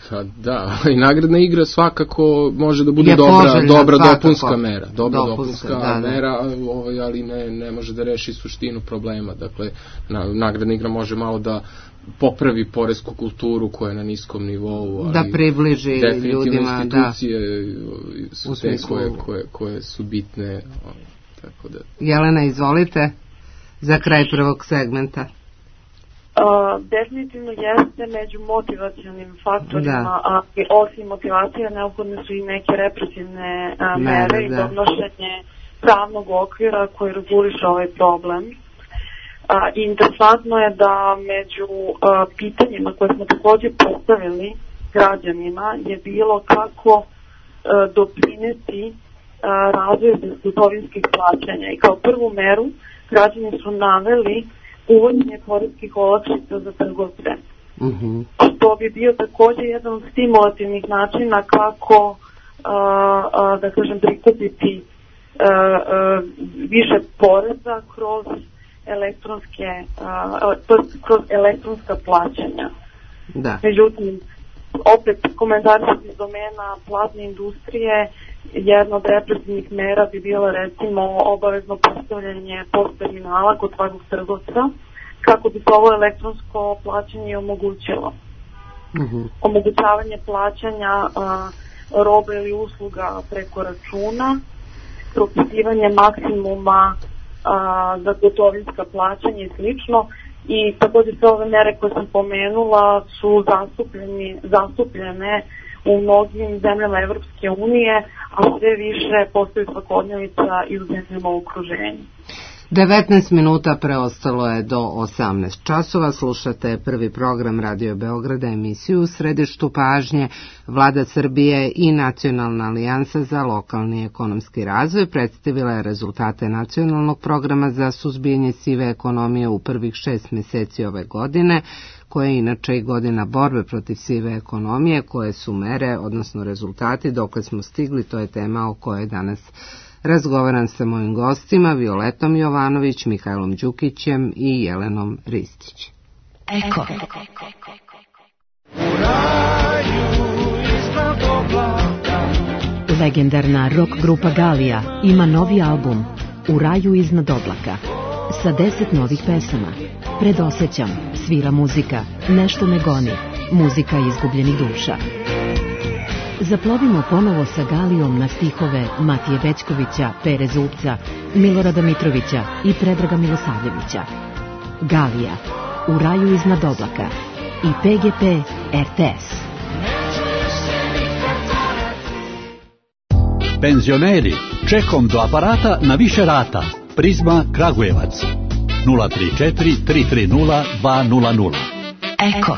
E: Pa da, i nagradna igra svakako može da bude dobra, dobra dopunska mera, dobra dopunska, dopunska da, mera, ovaj, ali ne, ne može da reši suštinu problema. Dakle, na, nagradna igra može malo da popravi poresku kulturu koja je na niskom nivou, ali
A: da približi ljudima,
E: institucije da, su te koje, koje, koje su bitne. Tako da.
A: Jelena, izvolite za kraj prvog segmenta.
D: Uh, definitivno jeste među motivacionim faktorima,
A: da.
D: A osim motivacije neophodne su i neke represivne uh, mere, mere i donošenje pravnog okvira koji reguliše ovaj problem. Uh, interesantno je da među uh, pitanjima koje smo također postavili građanima je bilo kako uh, doprineti uh, razvoju bezgotovinskih plaćanja i kao prvu meru građani su naveli uvođenje poreskih olakšica za trgovce.
A: Mm-hmm.
D: To bi bio također jedan od stimulativnih načina kako a, a, da kažem prikupiti a, a, više poreza kroz elektronske a, kroz elektronska plaćanja.
A: Da.
D: Međutim, opet komentar iz domena platne industrije, jedna od represivnih mera bi bila recimo obavezno postavljanje post terminala kod svakog trgovca kako bi se ovo elektronsko plaćanje omogućilo.
A: Mm-hmm.
D: Omogućavanje plaćanja a, robe ili usluga preko računa, propisivanje maksimuma a, za gotovinska plaćanja i slično. I također sve ove mere koje sam pomenula su zastupljene u mnogim zemljama Evropske unije, a sve više postoji svakodnevica i u zemljama u okruženju.
A: devetnaest minuta preostalo je do osamnaest časova. Slušate prvi program Radio Beograda, emisiju u središtu pažnje. Vlada Srbije i Nacionalna alijansa za lokalni ekonomski razvoj predstavila je rezultate nacionalnog programa za suzbijanje sive ekonomije u prvih šest mjeseci ove godine, koja je inače i godina borbe protiv sive ekonomije. Koje su mere, odnosno rezultati, dokle smo stigli, to je tema o kojoj danas razgovaram sa mojim gostima, Violetom Jovanović, Mihajlom Đukićem i Jelenom Ristić.
G: Eko. Legendarna rock grupa Galija ima novi album U raju iznad oblaka sa deset novih pesama. Predosećam, svira muzika, nešto me goni, muzika izgubljenih duša. Zaplovimo ponovo sa Galijom na stihove Matije Bećkovića, Pere Zupca, Milorada Mitrovića i Predraga Milosavljevića. Galija, U raju iznad oblaka i P G P R T S.
H: Penzioneri, čekom do aparata na više rata. Prizma Kragujevac. nula tri četiri tri tri nula dva nula nula.
G: Eko.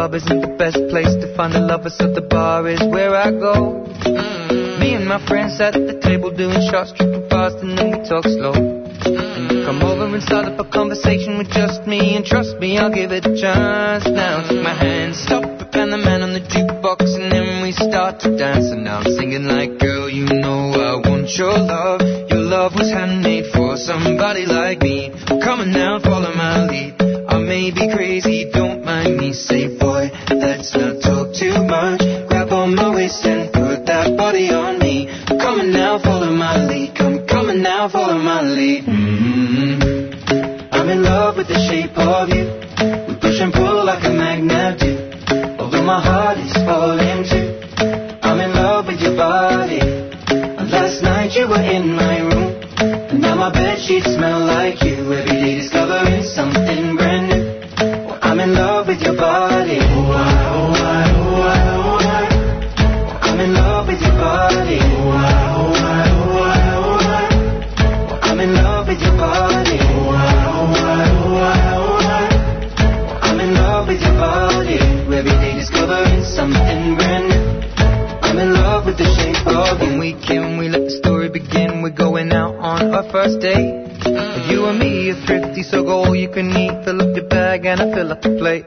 I: Isn't the best place to find a lover, so the bar is where I go. Mm-hmm. Me and my friends at the table doing shots, tripping fast, and then we talk slow. Mm-hmm. And you come over and start up a conversation with just me, and trust me, I'll give it a chance. Now take my hand, stop it, and the man on the jukebox, and then we start to dance. And now I'm singing like, girl, you know I want your love. Your love was handmade for somebody like me. Come on now, follow my lead. I may be crazy, don't mind me. Say, boy, let's not talk too much. Grab on my waist and put that body on me. Come on now, follow my lead. Come, come on now, follow my lead. Mm-hmm. I'm in love with the shape of you. We push and pull like a magnet do. Although my heart is falling too. I'm in love with your body. Last night you were in my room, and now my bedsheets smell like you. Every day discovering something brand new. Well, I'm in love with your body. Oh, I, oh, I, oh, I, oh, I. Well, I'm in love with your body. Oh, I, oh, I, oh, I, oh, I. Well, I'm in love with your body. Oh, I, oh, I, oh, I, oh, I. Well, I'm in love with your body. Every day discovering something brand new. I'm in love with the shape of you. When we came, we let the story begin. We're going out on our first date. You and me are thrifty, so go all you can eat. Fill up your bag and I fill up the plate.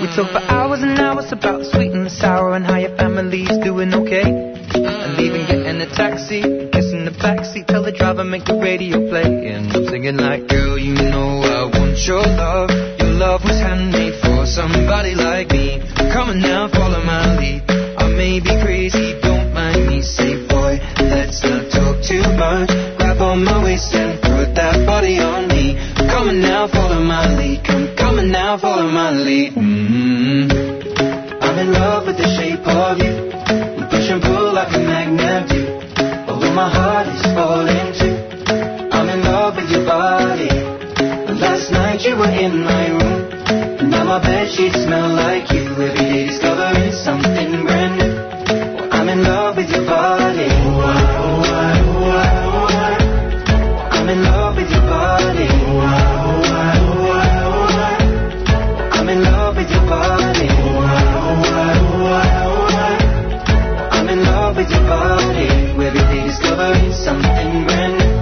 I: We talk for hours and hours about the sweet and the sour and how your family's doing okay. And leaving, getting a taxi, kissing the backseat, tell the driver make the radio play. And I'm singing like, girl, you know I want your love. Your love was handmade for somebody like me. Come on now, follow my lead. I may be crazy, don't mind me. Say, boy, let's not talk too much. Grab on my waist and put that body on me. Come on now, follow my lead. Come, come on now, follow my lead. Mm-hmm. I'm I'm in love with the shape of you. We push and pull like a magnet do. Although my heart is falling too. I'm in love with your body. Last night you were in my room. And now my bedsheets smell like you. Every day discovering something brand new. Well, I'm in love with your body. Oh, I, oh, I, oh, I, oh, I. I'm in love with your body. Oh, I, oh, I, oh, I, oh, I. I'm in love with your body. Oh, I, oh, I, oh, I, oh, I. I'm in love with your body. Every day discovering something brand new.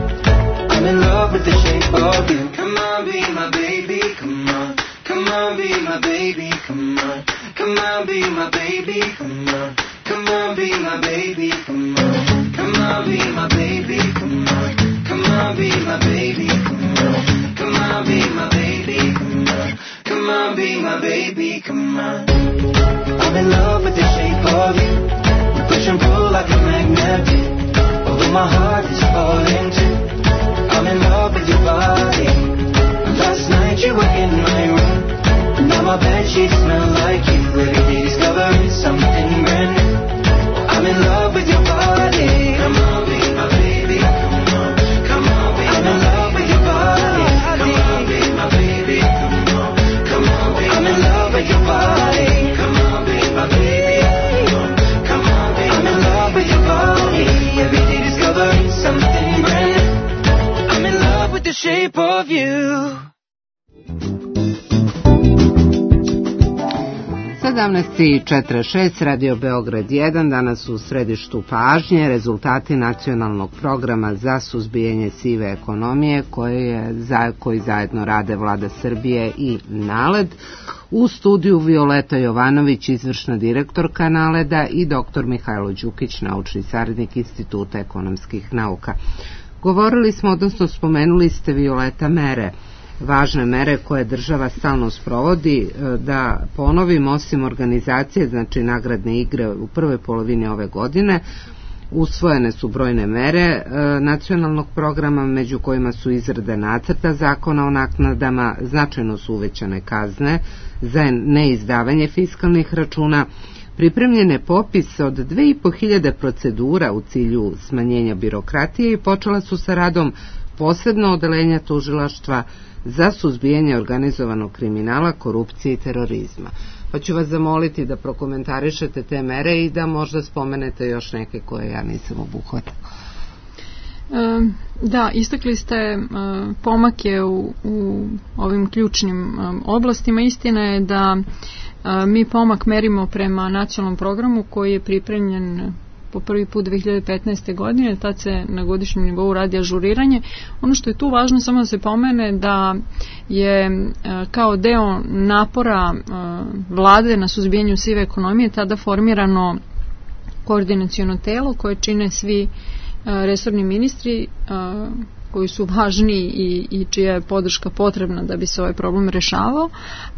I: I'm in love with the shape of you. Come on, be my baby, come on. Come on, be my baby, come on. Come on, be my baby, come on. Come on, be my baby, come on. Come on, be my baby, come on. Come on, be my baby, come on. Come on, be my baby, come on. Come on, be my baby, come on. I'm in love with the shape of you. We push and pull like a magnet do. Although my heart is falling too. I'm in love with your body. Last night you were in my room. Now my bedsheets smell like you. Every day discovering something brand new. I'm in love with your body. Come on, be my baby. Come on, come on, be I'm in love with your body. Come on, be my baby. Come on, come on, be I'm in love with your body. Come on, be my baby. Come on, come on, be I'm in love with your body. Every day discovering something brand new. I'm in love with the shape of you.
B: sedamnaest i četrdeset šest, Radio Beograd jedan, danas u središtu pažnje rezultati nacionalnog programa za suzbijanje sive ekonomije koje je, za, koji zajedno rade Vlada Srbije i NALED. U studiju Violeta Jovanović, izvršna direktorka NALED-a, i doktor Mihajlo Đukić, naučni saradnik Instituta ekonomskih nauka. Govorili smo, odnosno spomenuli ste, Violeta, mere, važne mere koje država stalno sprovodi. Da ponovim, osim organizacije, znači nagradne igre u prvoj polovini ove godine, usvojene su brojne mere nacionalnog programa, među kojima su izrada nacrta zakona o naknadama, značajno su uvećane kazne za neizdavanje fiskalnih računa, pripremljen je popis od dve i po hiljade procedura u cilju smanjenja birokratije i počela su sa radom posebno odeljenja tužilaštva za suzbijanje organizovanog kriminala, korupcije i terorizma. Pa ću vas zamoliti da prokomentarišete te mere i da možda spomenete još neke koje ja nisam obuhvatila.
C: E, da, istakli ste e, pomake u, u ovim ključnim e, oblastima. Istina je da e, mi pomak merimo prema nacionalnom programu koji je pripremljen po prvi put dve hiljade petnaeste. godine, tad se na godišnjem nivou radi ažuriranje. Ono što je tu važno samo da se pomene da je kao deo napora vlade na suzbijanju sive ekonomije tada formirano koordinaciono telo koje čine svi resorni ministri koji su važni i, i čija je podrška potrebna da bi se ovaj problem rešavao,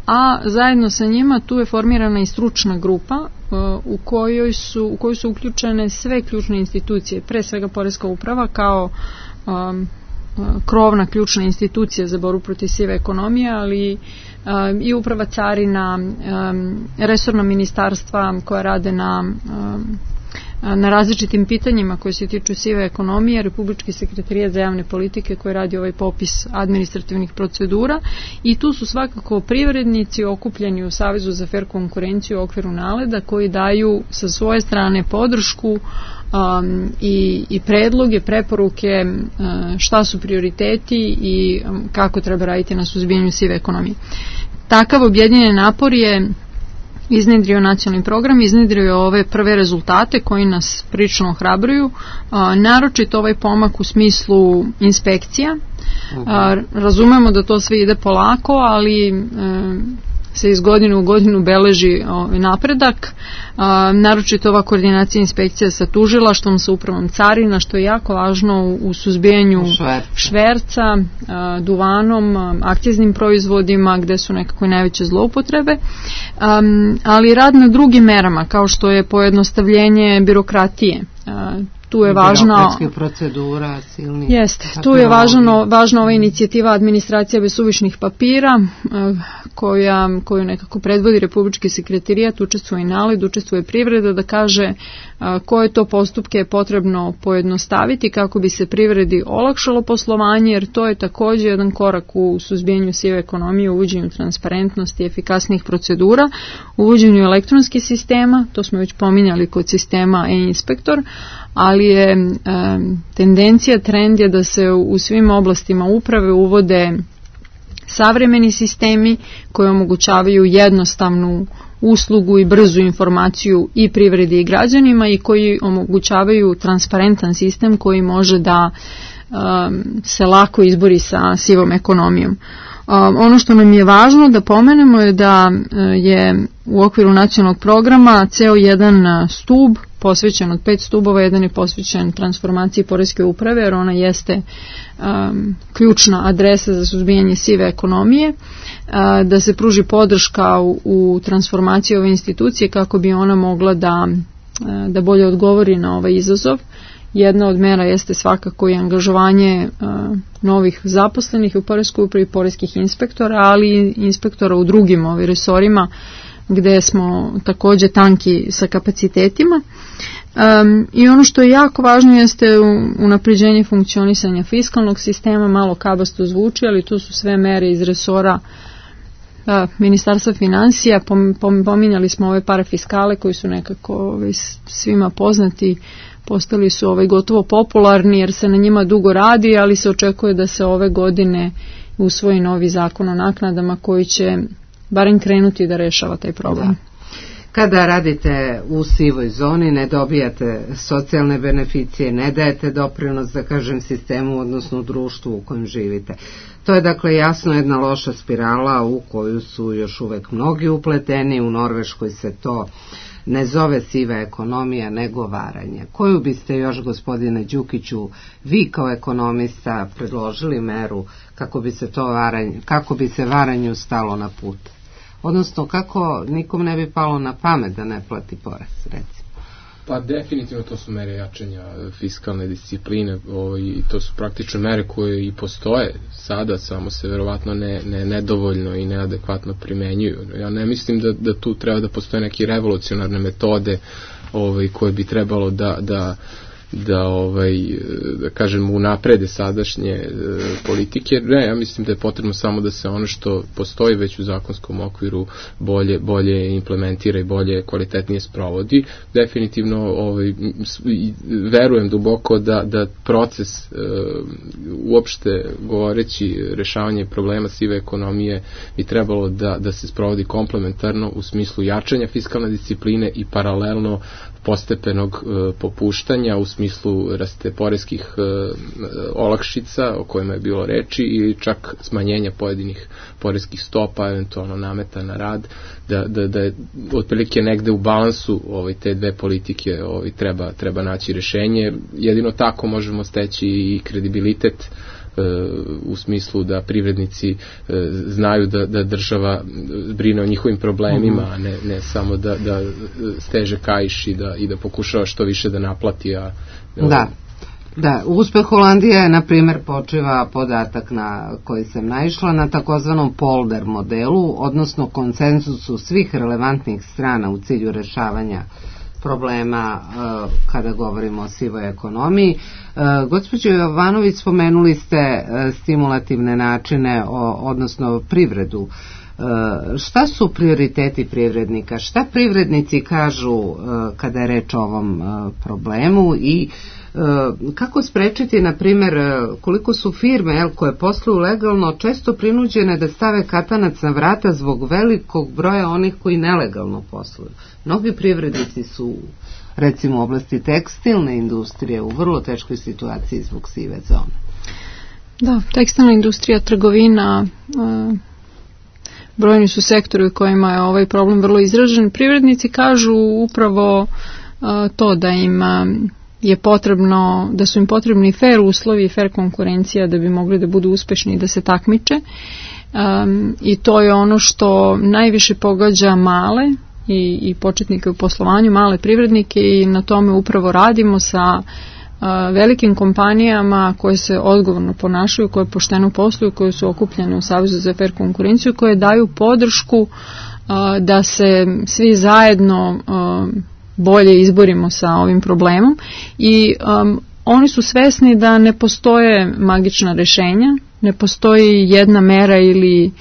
C: a zajedno sa njima tu je formirana i stručna grupa uh, u kojoj su, u kojoj su uključene sve ključne institucije, pre svega Poreska uprava kao um, krovna ključna institucija za borbu protiv sive ekonomije, ali um, i uprava carina, um, resorna ministarstva koja rade na um, na različitim pitanjima koje se tiču sive ekonomije, Republički sekretarijat za javne politike koji radi ovaj popis administrativnih procedura, i tu su svakako privrednici okupljeni u Savezu za fer konkurenciju u okviru NALED-a koji daju sa svoje strane podršku um, i, i predloge, preporuke uh, šta su prioriteti i um, kako treba raditi na suzbijanju sive ekonomije. Takav objedinjen napor je iznedrio nacionalni program, iznedrio ove prve rezultate koji nas prilično ohrabruju, a, naročito ovaj pomak u smislu inspekcija. A, razumemo da to sve ide polako, ali e, se iz godine u godinu beleži ovaj napredak, a, naročito ova koordinacija inspekcija sa tužilaštvom, sa upravom carina, što je jako važno u, u suzbijanju Šverca, šverca a, duvanom, a, akciznim proizvodima gde su nekako najveće zloupotrebe, a, ali rad na drugim merama kao što je pojednostavljenje birokratije. A, tu je važna
A: procedura silnih.
C: Jeste, tu je važno, važna ova inicijativa administracija bez suvišnih papira koja, koju nekako predvodi Republički sekretarijat, učestvuje i NALED, učestvuje privreda, da kaže koje to postupke je potrebno pojednostaviti kako bi se privredi olakšalo poslovanje, jer to je također jedan korak u suzbijanju sive ekonomije, uvođenju transparentnosti, efikasnih procedura, uvođenju elektronskih sistema, to smo već pominjali kod sistema e-inspektor, ali je e, tendencija, trend je da se u svim oblastima uprave uvode savremeni sistemi koji omogućavaju jednostavnu uslugu i brzu informaciju i privredi i građanima i koji omogućavaju transparentan sistem koji može da um, se lako izbori sa sivom ekonomijom. Um, ono što nam je važno da pomenemo je da uh, je u okviru nacionalnog programa ceo jedan stub posvećen od pet stubova, jedan je posvećen transformaciji poreske uprave, jer ona jeste um, ključna adresa za suzbijanje sive ekonomije, uh, da se pruži podrška u, u transformaciji ove institucije kako bi ona mogla da, uh, da bolje odgovori na ovaj izazov. Jedna od mera jeste svakako i angažovanje uh, novih zaposlenih u poreskoj upravi, poreskih inspektora, ali i inspektora u drugim ovim resorima gde smo također tanki sa kapacitetima. Um, I ono što je jako važno jeste unapređenje funkcionisanja fiskalnog sistema, malo kabasto zvuči, ali to su sve mere iz resora uh, Ministarstva financija. Pom, pom, pominjali smo ove parafiskale koji su nekako ovaj, svima poznati, postali su ovaj, gotovo popularni jer se na njima dugo radi, ali se očekuje da se ove godine usvoji novi zakon o naknadama koji će barem krenuti da rešava taj problem. Da.
A: Kada radite u sivoj zoni, ne dobijate socijalne beneficije, ne dajete doprinos, da kažem, sistemu, odnosno društvu u kojem živite. To je dakle jasno jedna loša spirala u koju su još uvek mnogi upleteni. U Norveškoj se to ne zove siva ekonomija, nego varanje. Koju biste još, gospodine Đukiću, vi kao ekonomista predložili meru kako bi se to varanje, kako bi se varanju stalo na put? Odnosno, kako nikom ne bi palo na pamet da ne plati porez, recimo?
E: Pa definitivno to su mere jačanja fiskalne discipline, i to su praktične mere koje i postoje sada, samo se verovatno ne, ne, nedovoljno i neadekvatno primenjuju. Ja ne mislim da, da tu treba da postoje neke revolucionarne metode ovaj, koje bi trebalo da, da da ovaj da kažem unaprede sadašnje e, politike. Ne, ja mislim da je potrebno samo da se ono što postoji već u zakonskom okviru bolje bolje implementira i bolje kvalitetnije sprovodi. Definitivno ovaj verujem duboko da da proces e, uopšte govoreći rešavanje problema sive ekonomije bi trebalo da da se sprovodi komplementarno u smislu jačanja fiskalne discipline i paralelno postepenog e, popuštanja u smislu raste poreskih e, olakšica o kojima je bilo reči i čak smanjenja pojedinih poreskih stopa, eventualno nameta na rad, da, da, da je otprilike negde u balansu ovaj, te dve politike ovaj, treba, treba naći rešenje. Jedino tako možemo steći i kredibilitet u smislu da privrednici znaju da, da država brine o njihovim problemima, a ne, ne samo da, da steže kaiš i da, i da pokušava što više da naplati. A,
A: da, da, uspeh Holandije je, na primjer, počiva podatak na koji sam naišla na takozvanom polder modelu, odnosno konsenzusu svih relevantnih strana u cilju rešavanja problema uh, kada govorimo o sivoj ekonomiji. Uh, gospođo Jovanović, spomenuli ste uh, stimulativne načine, o, odnosno privredu. Uh, šta su prioriteti privrednika? Šta privrednici kažu uh, kada je reč o ovom uh, problemu i uh, kako sprečiti, na primjer, uh, koliko su firme jel, koje posluju legalno često prinuđene da stave katanac na vrata zbog velikog broja onih koji nelegalno posluju? Mnogi privrednici su, recimo u oblasti tekstilne industrije, u vrlo teškoj situaciji zbog sive zone.
C: Da, tekstilna industrija, trgovina, uh, brojni su sektori u kojima je ovaj problem vrlo izražen. Privrednici kažu upravo uh, to da im uh, je potrebno, da su im potrebni fair uslovi i fair konkurencija da bi mogli da budu uspešni i da se takmiče. Um, I to je ono što najviše pogađa male i, i početnike u poslovanju, male privrednike, i na tome upravo radimo sa velikim kompanijama koje se odgovorno ponašaju, koje pošteno posluju, koje su okupljene u Savezu za fer konkurenciju, koje daju podršku da se svi zajedno bolje izborimo sa ovim problemom i um, oni su svesni da ne postoje magična rešenja, ne postoji jedna mera ili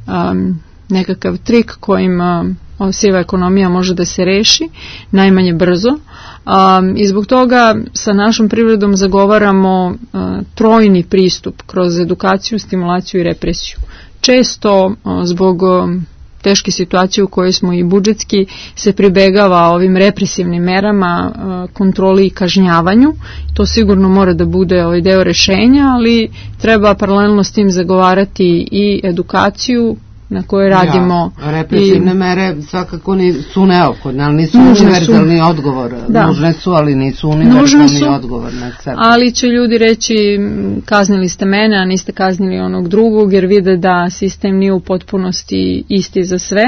C: um, nekakav trik kojim um, siva ekonomija može da se reši, najmanje brzo. Um, I zbog toga sa našom privredom zagovaramo uh, trojni pristup kroz edukaciju, stimulaciju i represiju. Često uh, zbog um, teške situacije u kojoj smo i budžetski se pribegava ovim represivnim merama, kontroli i kažnjavanju. To sigurno mora da bude ovaj deo rešenja, ali treba paralelno s tim zagovarati i edukaciju na kojoj radimo.
A: Ja, represivne i, mere svakako ni, su neophodne, ali nisu univerzalni su, odgovor. Da. Nužne su, ali nisu univerzalni su, odgovor na sebe.
C: Ali će ljudi reći kaznili ste mene, a niste kaznili onog drugog, jer vide da sistem nije u potpunosti isti za sve.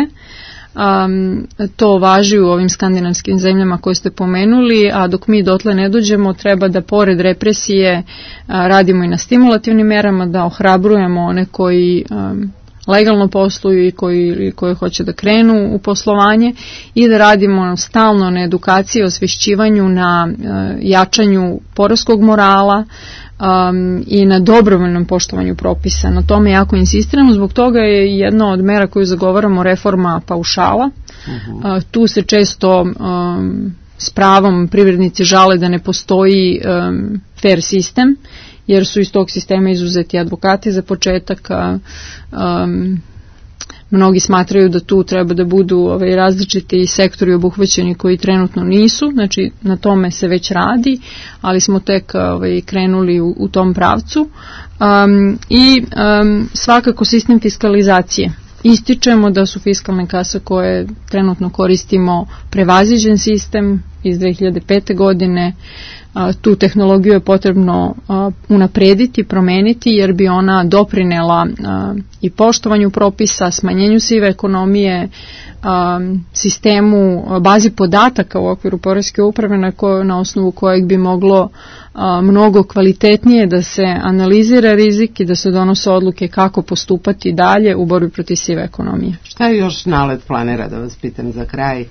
C: Um, to važi u ovim skandinavskim zemljama koje ste pomenuli, a dok mi dotle ne dođemo, treba da pored represije a, radimo i na stimulativnim merama, da ohrabrujemo one koji um, legalno posluju i koji, koji hoće da krenu u poslovanje i da radimo stalno na edukaciji, osvešćivanju, na uh, jačanju poreskog morala um, i na dobrovoljnom poštovanju propisa. Na tome jako insistiramo, zbog toga je jedna od mera koju zagovaramo reforma paušala. Uh-huh. Uh, tu se često um, s pravom privrednici žale da ne postoji um, fair sistem, jer su iz tog sistema izuzeti advokati za početak, a, um, mnogi smatraju da tu treba da budu ovaj, različiti sektori obuhvaćeni koji trenutno nisu, znači na tome se već radi, ali smo tek ovaj, krenuli u, u tom pravcu. Um, I um, svakako sistem fiskalizacije. Ističemo da su fiskalne kase koje trenutno koristimo prevaziđen sistem iz dve hiljade pete. godine. Tu tehnologiju je potrebno unaprediti, promeniti, jer bi ona doprinela i poštovanju propisa, smanjenju sive ekonomije, sistemu, bazi podataka u okviru poreske uprave na, ko, na osnovu kojeg bi moglo mnogo kvalitetnije da se analizira rizik i da se donose odluke kako postupati dalje u borbi protiv sive ekonomije.
A: Šta je još NALED planira, da vas pitam za kraj,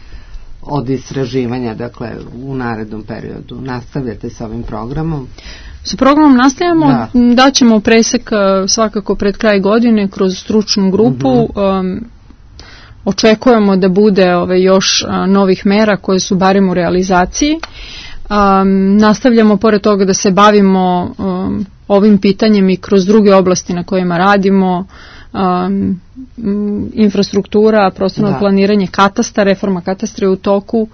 A: od istraživanja, dakle, u narednom periodu? Nastavljate sa ovim programom?
C: Sa programom nastavljamo, da. Daćemo presek svakako pred kraj godine kroz stručnu grupu. Uh-huh. um, očekujemo da bude ove, još a, novih mera koje su barem u realizaciji. Um, nastavljamo pored toga da se bavimo um, ovim pitanjem i kroz druge oblasti na kojima radimo, Um, infrastruktura, prostorno da. planiranje, katastar, reforma katastra je u toku,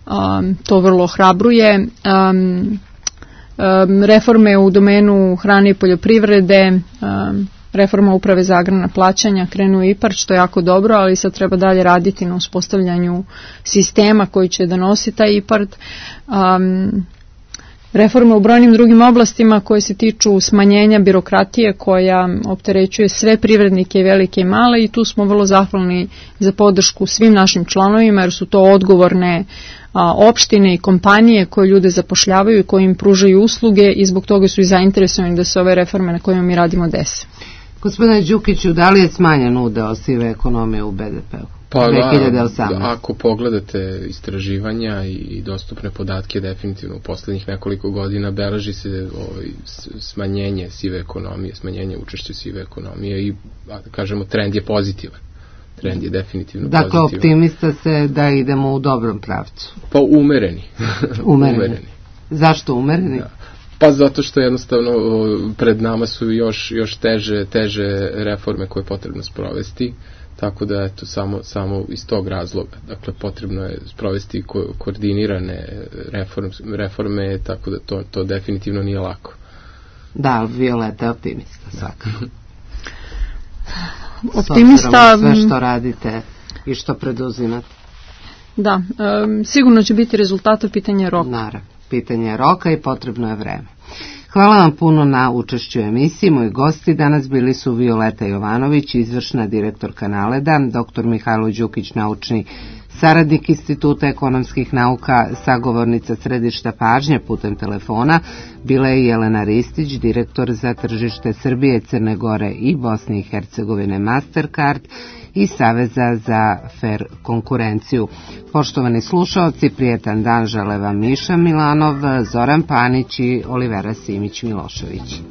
C: um, to vrlo ohrabruje, um, um, reforme u domenu hrane i poljoprivrede, um, reforma uprave za agrarna plaćanja, krenu I P A R D, što je jako dobro, ali sad treba dalje raditi na uspostavljanju sistema koji će da nosi taj I P A R D. Um, Reforme u brojnim drugim oblastima koje se tiču smanjenja birokratije koja opterećuje sve privrednike, velike i male, i tu smo vrlo zahvalni za podršku svim našim članovima, jer su to odgovorne a, opštine i kompanije koje ljude zapošljavaju i koje im pružaju usluge, i zbog toga su i zainteresovani da se ove reforme na kojima mi radimo dese.
A: Gospodine Đukiću, da li je smanjen udeo sive ekonomije u be de pe-u?
E: Pa da, ako pogledate istraživanja i dostupne podatke, definitivno u poslednjih nekoliko godina beleži se ovaj, smanjenje sive ekonomije, smanjenje učešća sive ekonomije i, kažemo, trend je pozitivan. Trend je definitivno
A: dakle,
E: pozitivan.
A: Dakle, optimista se da idemo u dobrom pravcu.
E: Pa umereni.
A: Umereni. umereni. Zašto umereni?
E: Da. Pa zato što jednostavno pred nama su još, još teže, teže reforme koje je potrebno sprovesti. Tako da eto, samo, samo iz tog razloga. Dakle, potrebno je sprovesti ko- koordinirane reform, reforme, tako da to, to definitivno nije lako.
A: Da, Violeta je optimista, svakako.
C: Optimista...
A: Sve što radite i što preduzimate.
C: Da, um, sigurno će biti rezultata, pitanje roka.
A: Naravno, pitanje roka i potrebno je vreme.
B: Hvala vam puno na učešću u emisiji. Moji gosti danas bili su Violeta Jovanović, izvršna direktorka Naleda, doktor Mihajlo Đukić, naučni saradnik Instituta ekonomskih nauka, sagovornica središta pažnje putem telefona, bila je Jelena Ristić, direktor za tržište Srbije, Crne Gore i Bosne i Hercegovine Mastercard i Saveza za fer konkurenciju. Poštovani slušaoci, prijetan dan žele vam Miša Milanov, Zoran Panić i Olivera Simić Milošević.